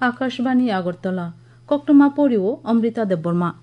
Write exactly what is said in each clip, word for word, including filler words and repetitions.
Akashbani Agartala, koktwma porio Amrita Debbarma.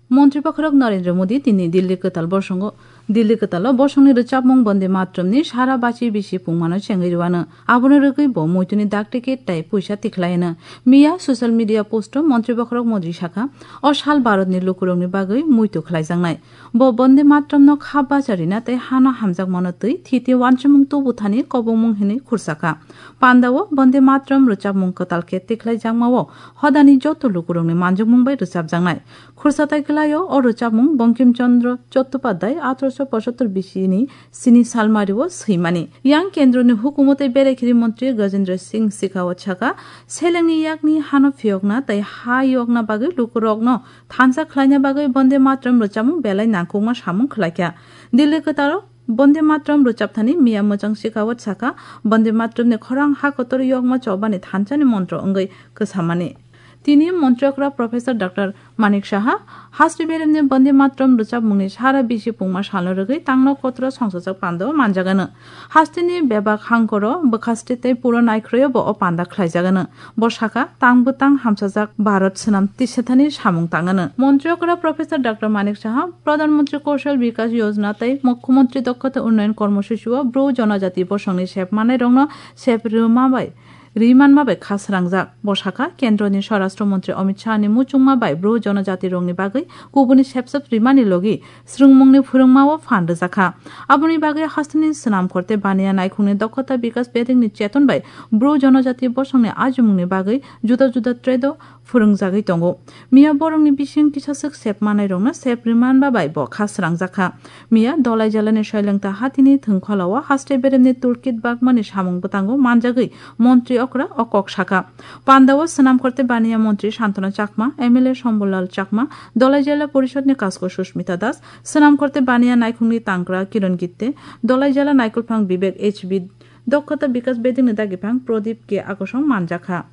Montri Bokhorok Narendra Modi tini Delhi kwtal bosongo, Delhi kwtalo bosongni rwchapmung Bonde Matramni sara bachi bisi pungmano chengwi rwano. Abono rwgwi bo muituni dak ticket tai puisa tikhlaino. Miya social media posto Montri Bokhorok Modi sakha, o sal Bharatni lukurokni bagwi muitu khlaijaknai. Bo Bonde Matramno kha bacha rina tei hano hamjakmano twi thiti uansukmung tubu thani kobongmung hinwi khursakha. Pandao Bonde Matram rwchapmung kwtal khe tikhlaijakmao hodani joto lukurokni manjukmung bai rwchapjaknai. Khursa tai kwlaio o rwchapmung Bankim Chandra Chattopadhyay athroso pochottor bisini sini salmario swimani. Yang kendroni hukumu tei berekhiri montri Gajendra Singh Shekhawat sakha, selengni yakni hano phiyokna tei ha yokna bagwi lukurokno thansa khlaina bagwi Bonde Matram rwchapmung belai nangkukma samung khlaikha. Delhi kwtalo Bonde Matram rwchapthani miya mwchang Shekhawat sakha, Bonde Matramni khorang ha kotor yokma chobani thansani montro wngwi kwsamani. Tini montri okra Professor Doctor Manik Saha haste beremni Bonde Matram rwchapmungni sara bisi pungma salno rwgwi tangno kotoro songsajak pandao manjagano. Hasteni bebak hangkoro bwkhaste tei puro naikhroio bo o panda khlaijagano. Bo sakha, tang bwtang hamsajak Bharat swnam tisathani samung tangano. Montri okra Professor Doctor Manik Saha Pradhan Mantri Kaushal Vikas Yojana tei Mukhyamantri Dakshata Unnayan Karmosuchi o Bru Jonojati bosongni sep manai rokno sep rwma bai ri manma bai kha srangjak. Bo sakha, Kendroni Swarashtra Mantri Amit Shahni muchungma bai Bru Jonojati rokni bagwi kubuni sepsep rimani logi swrwngmungni phwrwngmao phan rwjakha. Aboni bagwi hasteni swnamkhor tei baniya naikhungni Dakshata Vikas Bedingni cheton bai Bru Jonojati bosongni ajimungni bagwi juda juda trade o phwrwngjagwi tongo. Miya borokni bising kisaswk sep manairokno sep rwmanba bai bo kha srangjakha. Miya Dolai Jalani Soilengta Hatini thwngkholao haste beremni toolkit bagmani samung bwtango manjagwi montri okra o kok sakha. Pandao swnamkhor tei baniya montri Santana Chakma, M L A Sambhulal Chakma, Dolai Jila Porishodni kasko Sushmita Das, swnamkhor tei baniya naikhungni tangkra Kiron Gitte, Dolai Jila naikolphang Vivek H B, Dakshata Vikas Bedingni dagiphang Pradip K Akosong manjakha.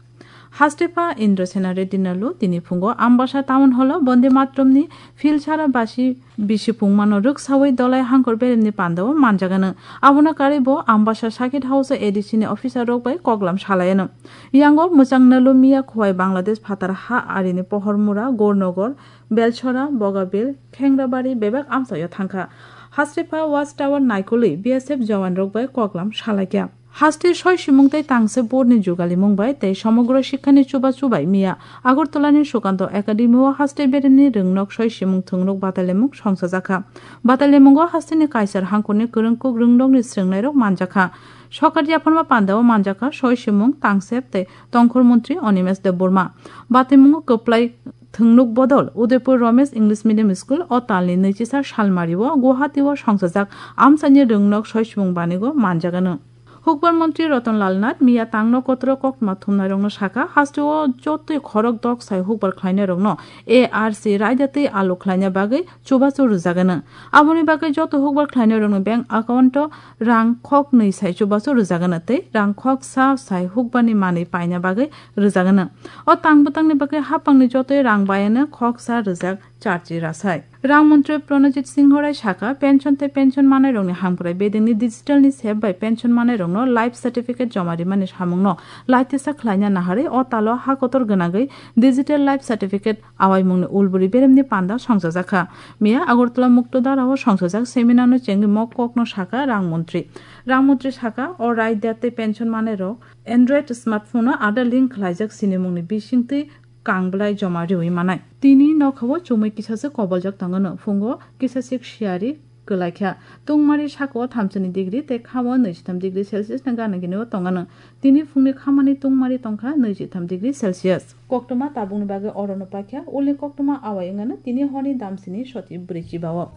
Hastepha Indrasena Reddy Nalu tini phungo Ambasa Town Hall o Bonde Matramni philsara basi bisi pungmano rwksawi Dolai Hangkor beremni pandao manjagano. Abono karwi bo Ambasa Circuit House o A D C ni officer rok bai koklam salayano. Yango mwchang Nalu miya Khowai Bangladesh phatar ha arini Pohormura, Gornogor, Belchora, Bogabil, Khengrabari bebak amchaio thangkha. Hastepha Watch Tower naikolwi B S F jawan rok bai koklam salaikha. Haste soi simung tei tangse board ni jugalimung bai tei somogro sikhani chubachu bai miya Agartala ni Sukanto Academy o haste beremni rwngnok soi simung thwngnok batailaimung songchajakha. Batailaimung o haste ni kaisar hangkor ni kwrwngkuk rwngnok ni srwngnairok manjakha. Sokar yapharma pandao manjakha soi simung, tangsep tei tongkhor montri Animesh Debbarma. Bataimungo kwplai thwngnok bodol Udaipur Romesh English Medium School o talni nwichisa salmario Guwahati o songchajak amchaini rwngnok soi simung banigo manjagano. Hukbar montri Ratan Lal Nath miya tangno kotoro koktwma thumnairokno sakha, hasteo jotoi khorok dok sai hukbar khlainairokno A R C raida tei alo khlaina bagwi chubachu rwjagano. Aboni bagwi joto hukbar khlainairokni bank account o rang khok nwi sai chubachu rwjagano tei rang khok sa sai hukbarni manwi paina bagwi rwjagano. O tang bwtangni bagwi haphangni jotoi rang bayano khok sa rwjak charchi rasai. Rang montri Pranojit Singho Rai sakha, pension tei pension manairokni hamkrai bedengni digital ni sep bai pension manairokno life certificate joma rimani samungno laitisa khlaina naharwi o talo ha kotor gwnangwi digital life certificate awaimungni ulburi beremni panda songchajakha. Miya Agartala Mukto Dara o songchajak seminar no chengwi mok kokno sakha rang montri. Rang montri sakha, o raida tei pension manairok Android smartphone o Aadhaar link khlaijak sinimungni bisingtwi kang bwlai joma riwi manai. Tini nokhao chumui kisasa koboljak tongano, phungo kisasik siyari kwlaikha. Tungmari sakao thamsani degree tei khao nwichitham degree Celsius ni gana gini o tongano. Tini phungni khamani tungmari tongkha nwichitham degree Celsius. Koktwma tabukni bagwi orono paikha, ulni koktwma awai wngano tini horni damsini soti bwrwi chibao.